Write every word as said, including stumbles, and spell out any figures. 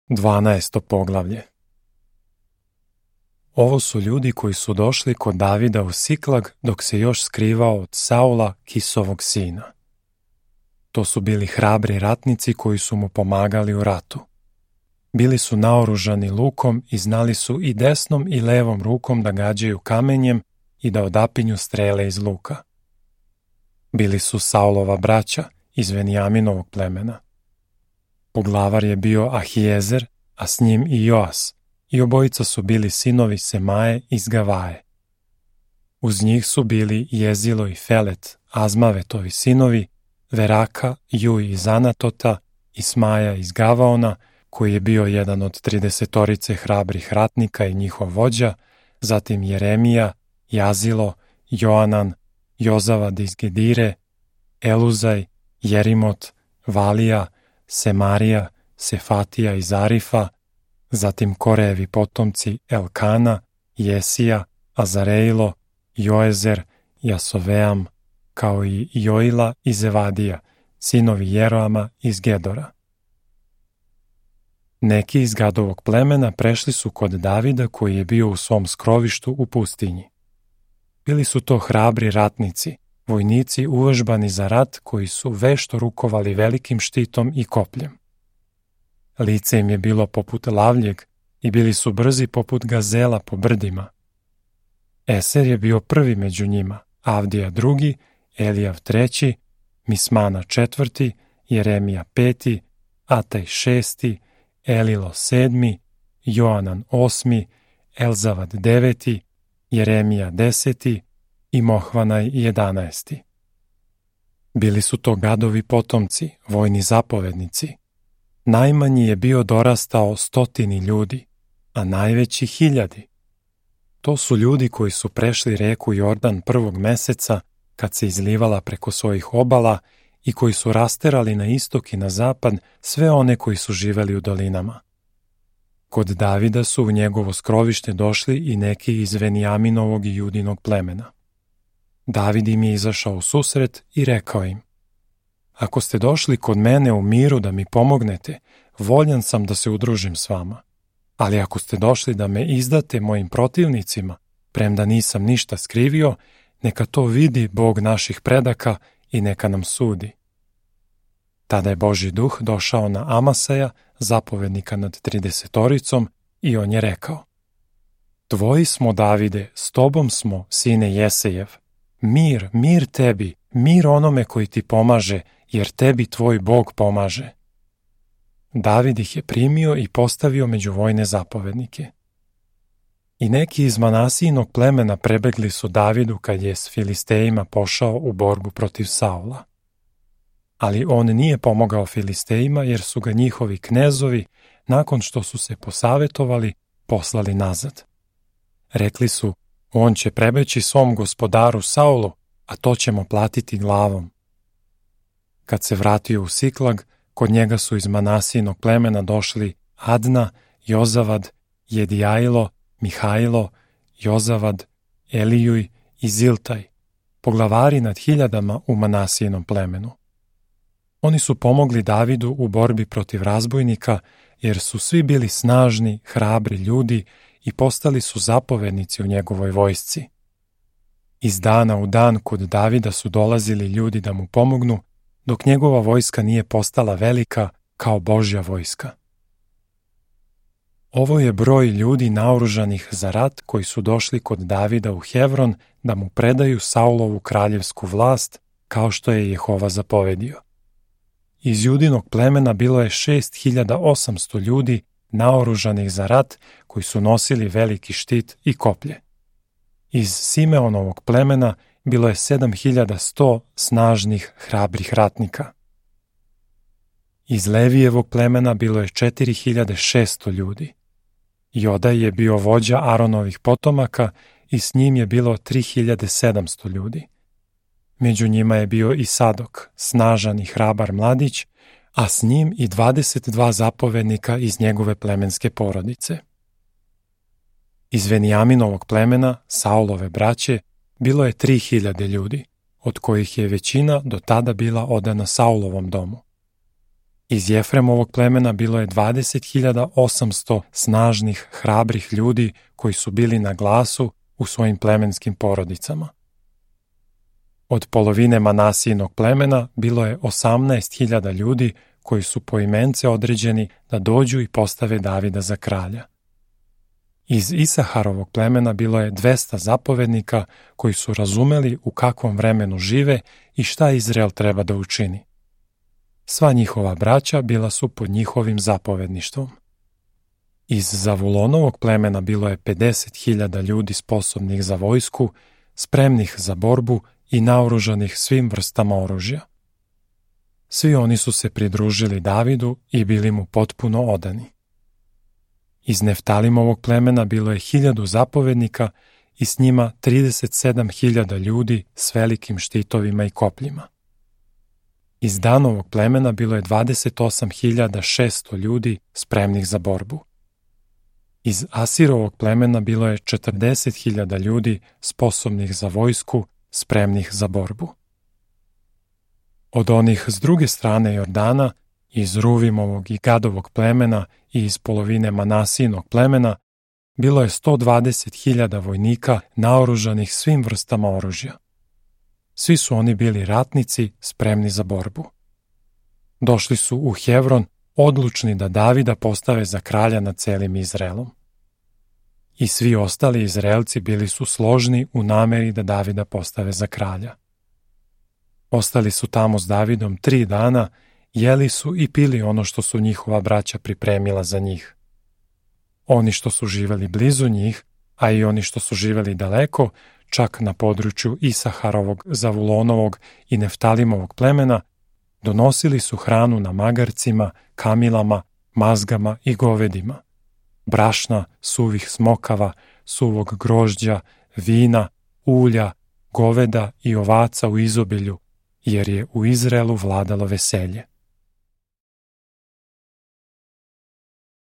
Dvanaesto poglavlje. Ovo su ljudi koji su došli kod Davida u Siklag dok se još skrivao od Saula, Kisovog sina. To su bili hrabri ratnici koji su mu pomagali u ratu. Bili su naoružani lukom i znali su i desnom i levom rukom da gađaju kamenjem i da odapinju strele iz luka. Bili su Saulova braća iz Venijaminovog plemena. Poglavar je bio Ahijezer, a s njim i Joas, i obojica su bili sinovi Semaje iz Gavaje. Uz njih su bili Jezilo i Felet, Azmavetovi sinovi, Veraka, Juj iz Anatota, Ismaja iz Gavaona, koji je bio jedan od tridesetorice hrabrih ratnika i njihov vođa, zatim Jeremija, Jazilo, Joanan, Jozavad iz Gedire, Eluzaj, Jerimot, Valija, Semarija, Sefatija iz Arifa, zatim Korejevi potomci Elkana, Jesija, Azarejlo, Joezer, Jasoveam, kao i Joila i Zevadija, sinovi Jeroama iz Gedora. Neki iz Gadovog plemena prešli su kod Davida koji je bio u svom skrovištu u pustinji. Bili su to hrabri ratnici, vojnici uvežbani za rat koji su vešto rukovali velikim štitom i kopljem. Lice im je bilo poput lavljeg i bili su brzi poput gazela po brdima. Eser je bio prvi među njima, Avdija drugi, Elijav treći, Mismana četvrti, Jeremija peti, Ataj šesti, Elilo sedmi, Joanan osmi, Elzavad deveti, Jeremija deseti i Mohvanaj jedanaesti. Bili su to Gadovi potomci, vojni zapovednici. Najmanji je bio dorastao stotini ljudi, a najveći hiljadi. To su ljudi koji su prešli reku Jordan prvog meseca, kad se izlivala preko svojih obala, i koji su rasterali na istok i na zapad sve one koji su živeli u dolinama. Kod Davida su u njegovo skrovište došli i neki iz Venijaminovog i Judinog plemena. David im je izašao u susret i rekao im: Ako ste došli kod mene u miru da mi pomognete, voljan sam da se udružim s vama. Ali ako ste došli da me izdate mojim protivnicima, premda nisam ništa skrivio, neka to vidi Bog naših predaka i neka nam sudi. Tada je Božji duh došao na Amasaja, zapovednika nad tridesetoricom, i on je rekao: Tvoji smo, Davide, s tobom smo, sine Jesejev. Mir, mir tebi, mir onome koji ti pomaže, jer tebi tvoj Bog pomaže. David ih je primio i postavio među vojne zapovednike. I neki iz Manasijinog plemena prebegli su Davidu kad je s Filistejima pošao u borbu protiv Saula. Ali on nije pomogao Filistejima jer su ga njihovi knezovi, nakon što su se posavetovali, poslali nazad. Rekli su: On će prebeći svom gospodaru Saulu, a to ćemo platiti glavom. Kad se vratio u Siklag, kod njega su iz Manasijinog plemena došli Adna, Jozavad, Jedijajlo, Mihajlo, Jozavad, Elijuj i Ziltaj, poglavari nad hiljadama u Manasijinom plemenu. Oni su pomogli Davidu u borbi protiv razbojnika, jer su svi bili snažni, hrabri ljudi i postali su zapovednici u njegovoj vojsci. Iz dana u dan kod Davida su dolazili ljudi da mu pomognu, dok njegova vojska nije postala velika kao Božja vojska. Ovo je broj ljudi naoružanih za rat koji su došli kod Davida u Hevron da mu predaju Saulovu kraljevsku vlast, kao što je Jehova zapovedio. Iz Judinog plemena bilo je šest hiljada osamsto ljudi naoružanih za rat koji su nosili veliki štit i koplje. Iz Simeonovog plemena bilo je sedam hiljada sto snažnih, hrabrih ratnika. Iz Levijevog plemena bilo je četiri hiljade šesto ljudi. Jodaj je bio vođa Aronovih potomaka i s njim je bilo tri hiljade sedamsto ljudi. Među njima je bio i Sadok, snažan i hrabar mladić, a s njim i dvadeset dva zapovednika iz njegove plemenske porodice. Iz Venijaminovog plemena, Saulove braće, bilo je tri hiljade ljudi, od kojih je većina do tada bila odana Saulovom domu. Iz Jefremovog plemena bilo je dvadeset hiljada osamsto snažnih, hrabrih ljudi koji su bili na glasu u svojim plemenskim porodicama. Od polovine Manasijinog plemena bilo je osamnaest hiljada ljudi koji su poimence određeni da dođu i postave Davida za kralja. Iz Isaharovog plemena bilo je dvesta zapovednika koji su razumeli u kakvom vremenu žive i šta Izrael treba da učini. Sva njihova braća bila su pod njihovim zapovedništvom. Iz Zavulonovog plemena bilo je pedeset hiljada ljudi sposobnih za vojsku, spremnih za borbu i naoružanih svim vrstama oružja. Svi oni su se pridružili Davidu i bili mu potpuno odani. Iz Neftalimovog plemena bilo je hiljadu zapovednika i s njima trideset sedam hiljada ljudi s velikim štitovima i kopljima. Iz Danovog plemena bilo je dvadeset osam hiljada šesto ljudi spremnih za borbu. Iz Asirovog plemena bilo je četrdeset hiljada ljudi sposobnih za vojsku, spremnih za borbu. Od onih s druge strane Jordana, iz Ruvimovog i Gadovog plemena i iz polovine Manasijinog plemena, bilo je sto dvadeset hiljada vojnika naoružanih svim vrstama oružja. Svi su oni bili ratnici spremni za borbu. Došli su u Hevron odlučni da Davida postave za kralja nad celim Izraelom. I svi ostali Izraelci bili su složni u nameri da Davida postave za kralja. Ostali su tamo s Davidom tri dana, jeli su i pili ono što su njihova braća pripremila za njih. Oni što su živeli blizu njih, a i oni što su živeli daleko, čak na području Isaharovog, Zavulonovog i Neftalimovog plemena, donosili su hranu na magarcima, kamilama, mazgama i govedima, brašna, suvih smokava, suvog grožđa, vina, ulja, goveda i ovaca u izobilju, jer je u Izraelu vladalo veselje.